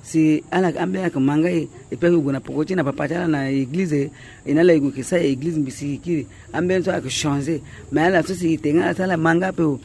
Si ala ambeni ayeke ma nga e, epui ayeke gue na poko ti na papa ti ala na église, e na ala e gue yeke sara église mbi si e kiri. Ambeni so ayeke changer. Mais ala so si e tene nga ala so ala ma nga ape o.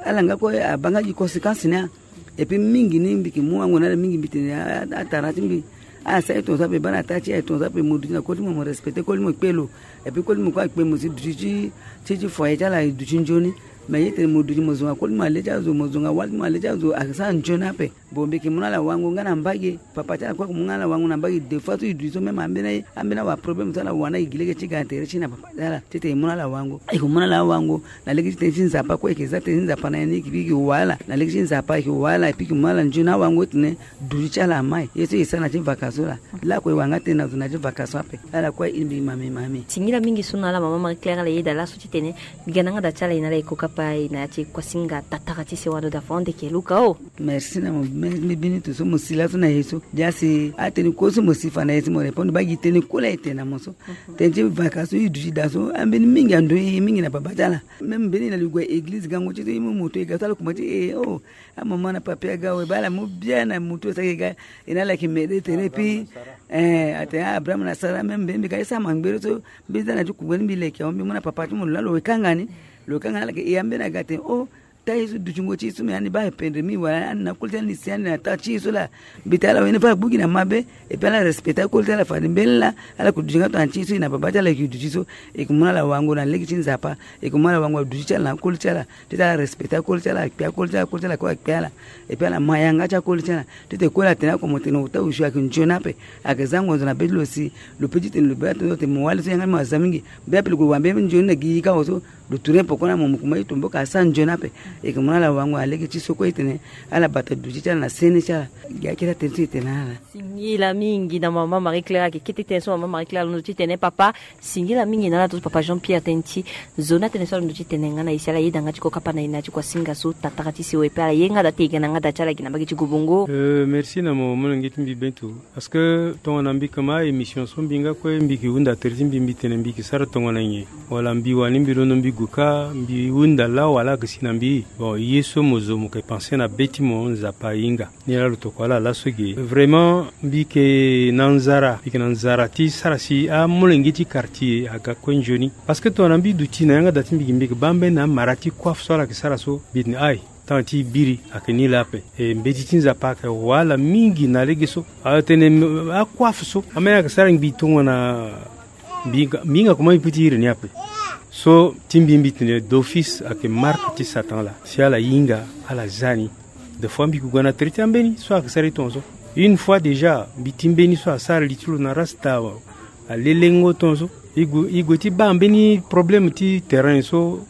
Ala nga kue abaa nga gi conséquence ni a. Epui mingi ni mbi yeke mu wango na ala mingi mbi tene a, a, atara ti mbi. Ala sara e tongaso ape baa na taa ti e tongaso ape mo duti na koli ti mo, mo respecté koli ti mo kpe lo. Epui koli ti mo kue akpe mo si duti ti, ti, ti foyer ti ala e duti nzoni. Mais ye tene mo duti mo zonga koli ti mo na le ti azo, mo zonga wali ti mo na le ti azo, asara nzoni ape. Bon, mbi yeke mu na ala wango nga na mbage, papa ti ala kue ayeke mu nga na ala wango na mbage, deux fois so e duti so même ambeni, ambeni awara problème so ala wara na e gi lege ti ga na tere ti e na papa ti ala. Titene e mu na ala wango. E yeke mu na ala wango. Na lege ti tënë ti Nzapa kue e yeke za tënë ti Nzapa na ya ni e yeke wara ala. Na lege ti Nzapa e yeke wara ala, e yeke mu na ala nzoni awango titene duti ti ala amai. Ye so e sara na ya ti vaka so laa. Lakue e wara nga tënë na zo na ya ti vaka so ape. Ala kue e iri mbi mami mami. Singila mingi so na ala mama Marie Claire ala yeda laso titene mbi ga na nga da ti ala e na ala e ko kapa e na ya ti kuasinga tatara ti sewa ndo da fond ke luka o. Merci na mo, mbi bini to so mo si laso na ye so. Dia si atënë kue so mo si fa na ye so mo répondre baa gi tënë kue laa e tene na mo so. Tënë ti vaka so e duti daa so ambeni mingi ando e mingi na baba ti ala. Même mbeni na li gue église gango ti so e mu moto e ga so ala kuma ti e o, amama na papi aga awe baa ala mu bia na moto e sara e ga. E na ala yeke mede tene epui eh atene Abraham na Sara même mbeni mbi ga e sara mangbere so mbeni za na ti kungbe ni mbi leke awe mbi mu na papa ti mo lo laa lo wekanga ni. Lo wekanga ni ala yeke e ambeni aga atene o. Taa ye so dutingo ti e so me ani baa pendre mi wala ani na koli ti ani si ani na taa ti e so laa. Mbi tene ala wene fâ agbu gi na mabe. Epui ala respecté akoli ti ala fade mbeni laa ala yeke duti nga tongana ti e so e na baba ti ala e yeke duti so. E yeke mu na ala wango na lege ti Nzapa. E yeke mu na ala wango aduti ti ala na akoli ti ala. Ti tene ala respecté akoli ti ala akpe akoli ti ala akoli ti ala kue akpe ala. Epui ala ma yanga ti akoli ti ala. Ti tene koli atene oko mo tene ota osio ayeke nzoni ape. Ayeke za ngonzo na be ti lo si lo pe ti tene lo be atene lo tene mo wali so yanga ti mo aza mingi. Be ape lo gue wara mbeni nzoni na gi yika awe so. Lo tourner poko na mo, mo kuma e tombo ka sara nzoni ape. E ke mu na ala wango na lege ti so kue e tene ala bata duti ti ala na sene ti ala. Gi akiri atene ti e tene na ala. Singila mingi na mama Marie Claire, ayeke kete tënë so mama Marie Claire alondo ti tene papa. Singila mingi na ala tongaso papa Jean Pierre, tënë ti zo ni atene so alondo ti tene nga na e si ala yeda nga ti kokapa na e na ya ti kuasinga so tatara ti sewa e pe ala ye nga da ti e ga na nga da ti ala gi na mbage ti gobongo. Euh, merci na mo molenge ti mbi Bentu. Parce que tongana mbi kama émission so mbi nga kue mbi ke hunda tere ti mbi, mbi tene mbi ke sara tongana nyen? Wala mbi wani mbi londo mbi gue ka mbi hunda laa wala ake si na mbi? Bon, ye so mo zo mo ke pense na be ti mo, Nzapa ahinga. Ni laa lo tokua ala laso ge. Vraiment, mbi ke na nzara, mbi ke na nzara ti sara si amolenge ti quartier aga kue nzoni. Parce que tongana mbi duti na yanga da ti mbi ge, mbi ke baa mbeni amara ti coiffe so ala ke sara so, mbi tene aïe, temps ti biri ake ni laa ape. E mbeti ti Nzapa ake wala mingi na lege so. Atene, mm, acoiffe so, ambeni ake sara ngbii tongana mbi hinga, mbi hinga comment mbi peut ti iri ni ape. So ti mbi, mbi tene d'office ake marque ti Satan laa. Si ala hinga, ala za ni. Des fois mbi ke gue na tere ti ambeni so ake sara ye tongaso. Une fois déjà mbi ti mbeni so asara li ti lo na rasta, alelengo tongaso. E gue, e gue ti baa mbeni problème ti terrain so.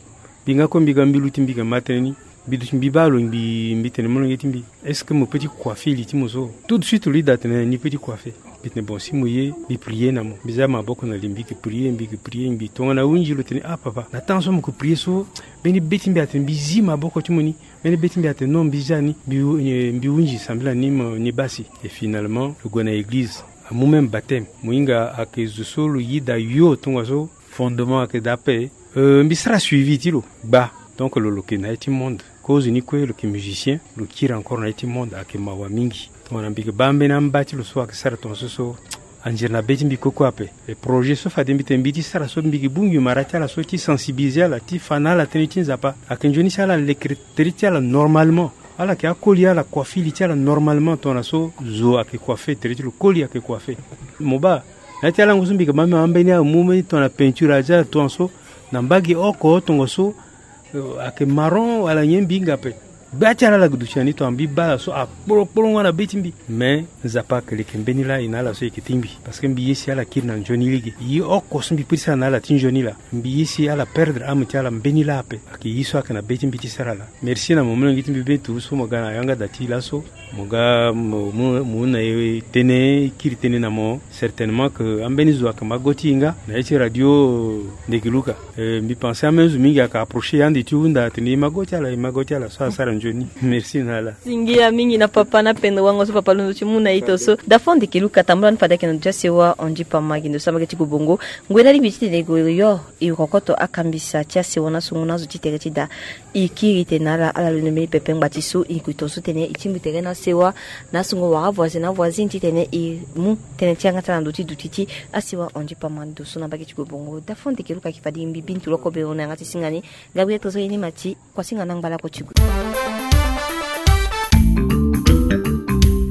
Mbi nga kue mbi ga mbi luti mbi ga ma tënë ni. Mbi duti mbi baa lo ngbii, mbi tene molenge ti mbi, est-ce que mo peut ti coiffer li ti mo so? Tout de suite lo yeda tene ni peut ti coiffer. Mbi tene bon, si mo ye mbi prier na mo. Mbi za maboko na li, mbi ke prier, mbi ke prier ngbii. Tongana ahunzi lo tene ah papa, na temps so mo ke prier so, mbeni be ti mbi atene mbi zi maboko ti mo ni. Mbeni be ti mbi atene non, mbi za ni, mbi hu-, eh, mbi hunzi sambela ni mo, ni baa si. Et finalement lo gue na église, amu même baptême. Mo hinga ake zo so lo yeda yo tongaso. Fondement ake daa ape. Euh, mbi sara suivi ti lo gbaa. Donc lo, lo ke na ye ti monde. Kozo ni kue lo ke musicien, lo kiri encore na ye ti monde, ake mawa mingi. Tongana mbi ke baa mbeni amba ti lo so ake sara tongaso so, anzere na be ti mbi koko ape. E projet so fade mbi tene mbi ti sara so, mbi ke bungbi mara ti ala so ti sensibiliser ala ti fa na ala tënë ti Nzapa. Ake nzoni si ala lekere tere ti ala normalement. Ala ke akoli ala coiffer li ti ala normalement tongana so zo ake coiffer tere ti lo, koli ake coiffer. Mo baa na ya ti alango so mbi ke baa mbi ma mbeni amu mbeni tongana peinture aza tongaso na mbage oko tongaso, eh, ake marron wala nyen mbi hinga ape. Gbia ti ala ala ke duti na ni tongana mbi baa ala so akpolokpolongo na be ti mbi. Mais Nzapa ake leke mbeni laa e na ala so e ke tingbi. Parce que mbi ye si ala kiri na nzoni lege. Ye oko so mbi peut ti sara na ala ti nzoni laa. Mbi ye si ala perdre âme ti ala mbeni laa ape. Ake ye so ake na be ti mbi ti sara laa. Merci na mo molenge ti mbi Bentu so mo ga na yanga da ti laso. Mo ga mo, mo, mo na e tënë, e kiri tënë na mo. Certainement que ambeni zo ake ma go ti e nga na ye ti radio Ndeke Luka. Eh, mbi pense ambeni zo mingi ake approcher e ande ti hunda atene e ma go ti ala, e ma go ti ala so asara nzoni. Merci na ala. Singila mingi na papa na pendo wango so papa alondo ti mu na e tongaso. Dafo Ndeke Luka, tambula ni fade ayeke na ndo ti asewa Ondi Pama gi ndo so na mbage ti gobongo. Ngoi na lingbi titene e gue yo e rokoto akambisa ti asewa na sungu na azo ti tere ti da. E kiri tene na ala, ala londo mbeni pepe ngbati so e gue tongaso titene e tingbi tere na asewa na asungo wala avoisin na avoisine titene e mu tënë ti yanga ti ala na ndo ti duti ti asewa Ondi Pama ndo so na mbage ti gobongo. Dafo Ndeke Luka, ayeke fade mbi Bintu Lokobe, hunda na yanga ti singa ni. Gabriel Tozo ye ni ma ti kuasinga na ngbalako ti gue.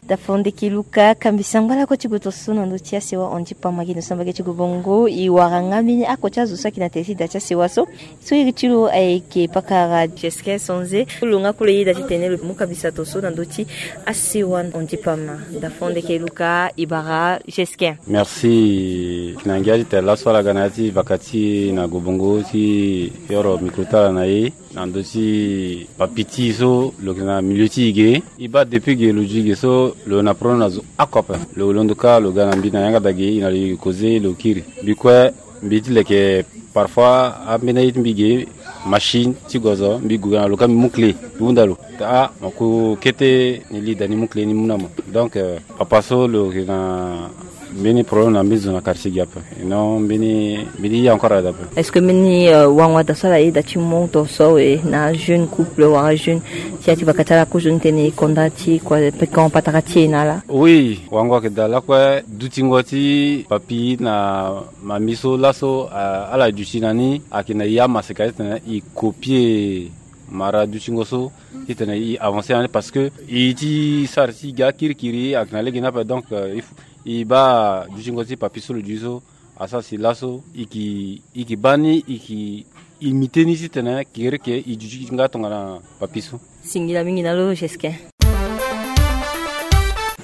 Dafo Ndeke Luka, kambisa ngbalako ti gue tongaso na ndo ti asewa Ondi Pama gi ndo so na mbage ti gobongo. E wara nga mbeni oko ti azo so ayeke na tere ti da ti asewa so. So iri ti lo ayeke pakara Jesquin Sonze. Lo nga kue lo yeda titene lo mu kambisa tongaso na ndo ti asewa Ondi Pama. Dafo Ndeke Luka, e bara Jesquin. Merci. Na ngia ti tene laso ala ga na ya ti vaka ti e na gobongo ti yoro micro ti ala na e. Na ndo ti papi ti e so lo yeke na milieu ti e ge. E baa depuis ge lo zi ge so lo na problème na zo oko ape. Lo londo kâ lo ga na mbi na yanga da ge e na lo e causer lo kiri. Mbi kue mbi ti leke parfois ambeni aye ti mbi ge machine ti gozo mbi gue ga na lo kâ mbi mu clé mbi hunda lo. Ah, mo ku kete ni li da ni mu clé ni mu na mo. Donc, euh, papa so lo yeke na mbeni problème na mbeni zo na quartier ge ape. Non, mbeni, mbeni ye encore ade ape. Est-ce que mbeni, euh, wango ade so ala yeda ti mu tongaso awe na jeune couple wala jeune ti ya ti vaka ti ala kozo ni tene e konda ti kua pekon patara ti e na ala? Oui, wango ayeke daa lakue dutingo ti papi na mami so laso, euh, ala duti na ni ayeke na e amaseka titene e copier mara dutingo so titene e avancer na ni parce que e ti sara ti e ga kirikiri ayeke na lege ni ape. Donc, euh, il faut e baa dutingo ti papi so lo duti so asara si laso e ke, e ke baa ni, e ke imiter ni titene kiri ke e duti nga tongana papi so. Singila mingi na lo Jesquin.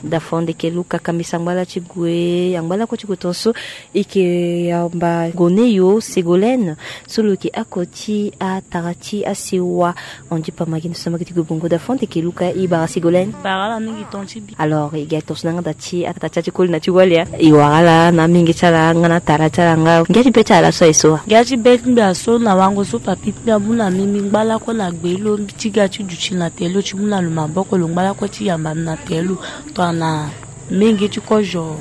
Dafa ndeke Luka, kambisa ngbala ti gue, angba lakue ti gue tonso. E ke yamba Goneyo Ségolène so lo yeke oko ti atara ti asewa Andy Pama gi na so na mbage ti gue bongo. Dafa ndeke Luka, e bara Ségolène. Bara ala mingi ton ti bi. Alors e ga tonso na yanga da ti atara ti koli na ti wali. E wara ala na amenge ti ala nga na atara ti ala nga. Ngia ti be ti ala so aye so wa? Ngia ti be ti mbi aye so na wango so papi ti mbi amu na mbi, mbi ngba lakue na gbe lo, mbi ti ga ti duti na tere lo ti mu na lo maboko, lo ngba lakue ti yamba mbi na tere lo. Tongana menge ti kozo,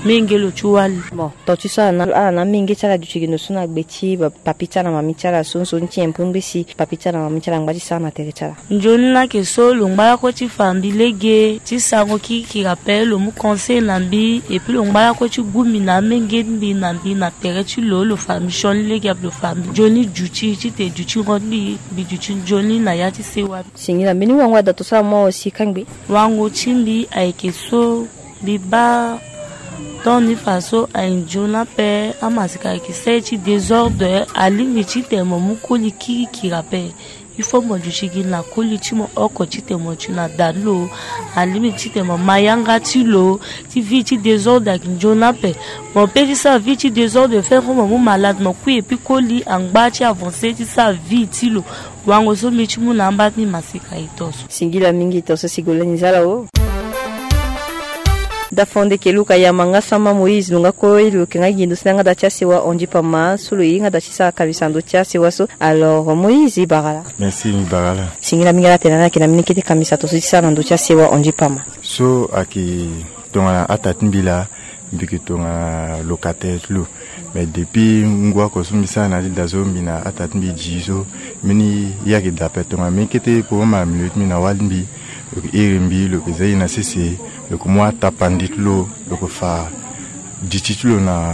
menge lo ti wali. Bon, ton ti so ala na, ala na amenge ti ala duti gi ndo so na gbe ti ba papi ti ala na mami ti ala so, nzoni ti yempo ngbisi papi ti ala na mami ti ala ngba ti sara na tere ti ala. Nzoni ni ayeke so lo ngba lakue ti fa mbi lege ti sarango kirikiri ape, lo mu conseil na mbi, et puis lo ngba lakue ti gu mbi na amenge ti mbi na mbi na tere ti lo, lo fa mbi sioni lege ape, lo fa mbi nzoni duti titene dutingo ti mbi, mbi duti nzoni na ya ti sewa. Singila, mbeni wango ada tonso ala mu awe si kangbi? Wango ti mbi ayeke so, mbi baa ton ni fa so aye nzoni ape, amaseka ayeke sere ti désordre, alingbi titene mo mu koli kirikiri ape. Il faut mo duti gi na koli ti mo oko titene mo duti na da ti lo. Alingbi titene mo ma yanga ti lo, ti vie ti désordre ayeke nzoni ape. Mo pe ti sara vie ti désordre fe fo mo mu malade, mo kui, et puis koli angba ti avancer ti sara vie ti lo. Wango so mbi ti mu na amba ti mbi maseka e tonso. Singila mingi tonso Ségolène Zala o. Dafa ndeke Luka, yamba nga sama Moïse, lo nga kue lo yeke nga gi ndo so na yanga da ti asewa Andy Pama so lo ye nga da ti sara kambisa ndo ti asewa so. Alors Moïse, e bara ala. Merci, mbi bara ala. Singila mingi ala tene ala yeke na mbeni kete kambisa tonso ti sara na ndo ti asewa Andy Pama. So ayeke tongana ata ti mbi laa, mbi yeke tongana locataire ti lo. Mais depuis ngu oko so mbi sara na ya ti da so, mbi na ata ti mbi gi so, mbeni ye ayeke daa ape. Tongana mbeni kete problème na milieu ti mbi na wali ti mbi, lo yeke iri mbi, lo yeke za e na sese, lo yeke mu atapande ti lo, lo yeke fa duti ti lo na,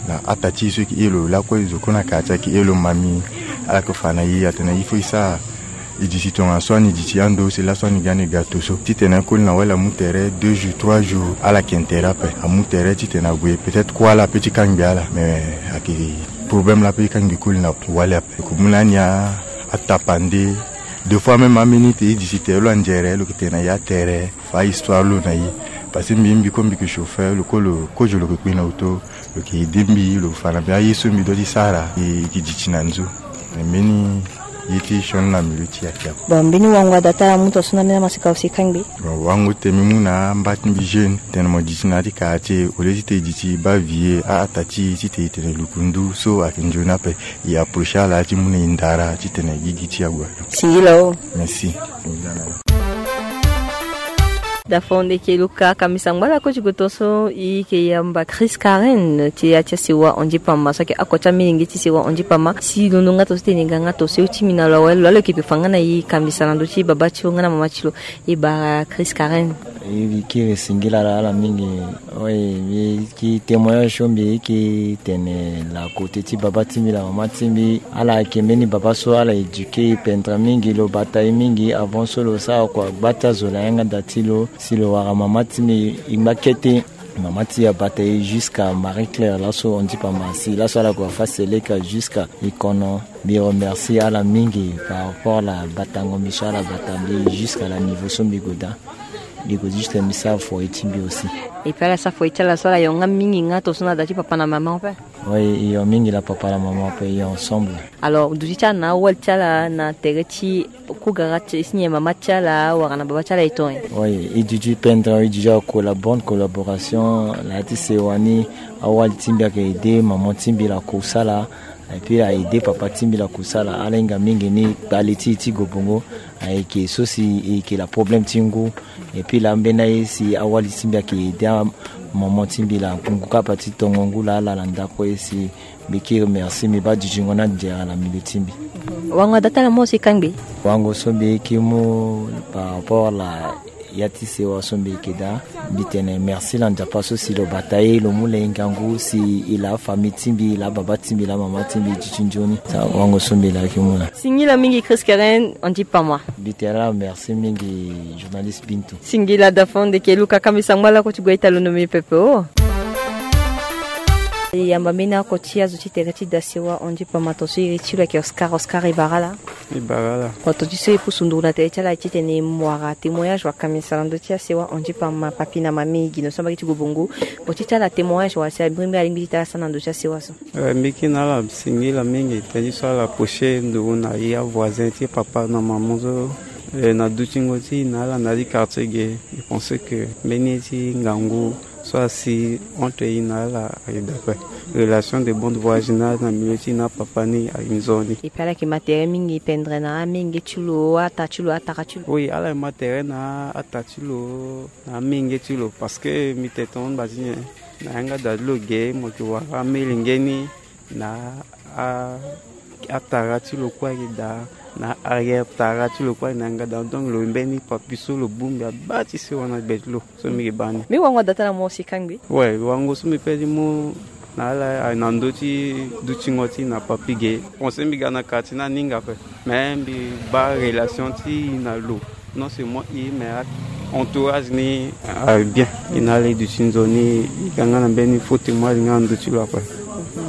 na ata ti e so e yeke iri lo lakue, zo kue na quartier ayeke iri lo mami. Ala yeke fa na e atene il faut e sara e duti tongana so ani duti ando, si laso ani ga ni ga tonso. Titene akoli na wali amu tere deux jours, trois jours, ala yeke intérêt ape. Amu tere titene ague, peut-être kue ala pe ti kangbi ala. Mais ayeke problème laa pe ti kangbi koli na wali ape. Lo yeke mu na ni atapande. Deux fois même ambeni tene e duti tere lo anzere, lo yeke tene na e atere, fa histoire lo na e. Parce que mbi, mbi kue mbi yeke chauffeur, lo kue lo, kozo lo yeke kpe na auto. Lo yeke aidé mbi, lo yeke fa na mbi aye so mbi doit ti sara, e yeke duti na nzo. Mbeni ye ti sioni na milieu ti e ayeke ape. Bon, mbeni wango ada ti ala amu tonso na mbeni amaseka aussi kangbi? Bon, wango ti tene mbi mu na amba ti mbi jeune, tene mo duti na ya ti quartier, au lieu titene e duti baa vieux, a-ata ti e, titene e tene lukundu so ayeke nzoni ape. E approcher ala ti mu na e ndara titene gigi ti e ague. Singila o. Merci. Dafa ndeke Luka, kambisa ngbala kue ti gue tonso, e yeke yamba Chris Karen ti ya ti asewa Andy Pama so ayeke oko ti amilenge ti sewa Andy Pama. Si londo nga tonso titene e ga nga tonso, e oti mbi na lo awe, lo laa lo yeke pe fa nga na e kambisa na ndö ti baba ti lo nga na mama ti lo. E bara Chris Karen. E, mbi kiri singila ala mingi. Oui, mbi yeke témoignage so mbi yeke tene na côté ti baba ti mbi na mama ti mbi. Ala yeke mbeni baba so ala éduqué e pendere mingi, lo bata e mingi. Avant so lo sara kua gba ti azo na yanga da ti lo, si lo wara mama ti mbi, e ngba kete. Mama ti e abata e jusqu'à Marie Claire, laso Andy Pama asi, laso ala gue afa seleka jusqu'à Ikono. Mbi remercie ala mingi par rapport na batango mbi so ala bata mbi jusqu'à la niveau so mbi gue daa. Mbi gue juste mbi sara foyer ti mbi aussi. Et puis ala sara foyer ti ala so ala yonga mingi nga tonso na da ti papa na mama ape. Oui, e yonga mingi na papa na mama ape, e yonga ensemble. Alors duti ti ala na awali ti ala na tere ti kugara ti si nyen mama ti ala wala na baba ti ala e ton e? Oui, e duti pendere, e duti ako la bonne collaboration na ya ti sewa ni. Awali ti mbi ayeke aidé maman ti mbi na kusala. Et puis a aidé papa ti mbi na kusala. Ala hinga mingi ni kpale ti e ti gue bongo ayeke so si e yeke na problème ti ngu. Et puis laa ambeni aye si awali ti mbi ayeke aidé amaman ti mbi na ngu kapa ti tongo ngu laa ala na ndako aye si. Mbi yeke remercie, mbi baa dutingo ni anzere na milieu ti mbi. Wango ada ti ala mo si kangbi? Wango so mbi yeke mu par rapport na ya ti sewa so mbi yeke daa, mbi tene merci na Nzapa so si lo bata e, lo mu lo hinga ngu si e laa famille ti mbi, e laa baba ti mbi, e laa mama ti mbi, e duti nzoni. Sa wango so mbi laa yeke mu laa. Singila mingi Chris Karen, Andy Pama. Mbi tene ala merci mingi, journaliste Bintu. Singila Dafa ndeke Luka, kambisa ngbala kue ti gue ita londo mbi pepe o. E yamba mbeni oko ti azo ti tere ti da sewa Andy Pamba, tongaso iri ti lo ayeke Oscar. Oscar, e bara ala? E bara ala. Wato ti so e pusu nduru na tere ti ala titene e mu wara témoignage wala kamisa na ndö ti asewa Andy Pamba, papi na mami gi noso na mbage ti Gobongo. Wato ti ala témoignage wala si abiri mbeni alingbi ti tara sara na ndö ti asewa so? Eh, mbi kiri na ala singila mingi tënë ti so ala poche nduru na e avoisin ti papa na mama so, eh, na dutingo ti e na ala na ya ti quartier ge. Je pense que mbeni ye ti ngangu so asi entre e na ala ayeke daa kue. Relation de bon voisinage na milieu ti e na papa ni ayeke nzoni. Epuis ala yeke ma tere mingi pendere na amenge ti lo, ata ti lo, atara ti lo. Oui, ala yeke ma tere na ata ti lo, na amenge ti lo, parce que mbi tene tongaso ni baa ti nyen, na yanga daa ti lo ge mo yeke wara amelenge ni na a, atara ti lo kue ayeke daa, na arrière tara ti lo kue ayeke na yanga daa. Donc lo mbeni papi so lo bongbi abaa ti sewa na gbe ti lo. So mbi yeke baa ni. Mbi wango daa ti ala mo si kangbi. Ouais, wango so mbi pe ti mu na ala ayeke na ndö ti dutingo ti e na papi ge. Conseil mbi ga na quartier ni aninga ape. Mais mbi baa relation ti e na lo, non seulement e, mais entourage ni ayeke bien. E na ala e duti nzoni, e ga nga na mbeni faux témoignage nga na ndö ti lo ape.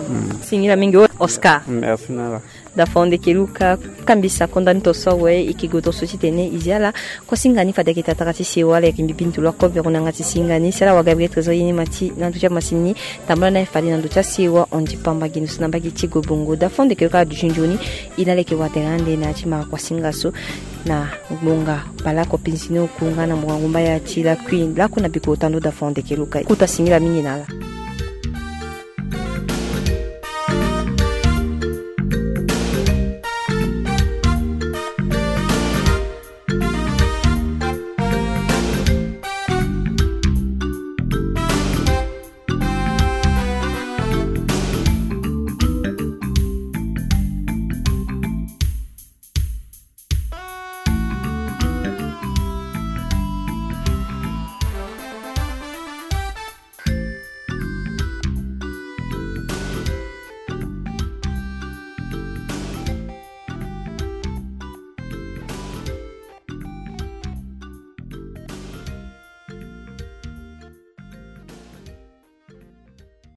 Mm. Singila mingi Oscar. Merci na ala. Dafa Onde Keluka, kambisa konda ni tongaso awe, e yeke gue tongaso titene e zi ala. Kuasinga ni fade ayeke tatara ti sewa, ala yeke mbi bini tolo akobe ro na yanga ti singa ni. Si ala wa Gabriel Trésor ye ni ma ti na ndö ti amasini ni. Tambula na e fade na ndö ti asewa Andy Pamba gi noso na mbage ti Gobongo. Dafa Onde Keluka aduti nzoni. E na ala e yeke wa tere ande na ya ti mara kuasinga so na ngbonga baleoko pinzi ni oku nga na ngbonga ngumba ya ti lakui laku na biko tando. Dafa Onde Keluka, kota singila mingi na ala.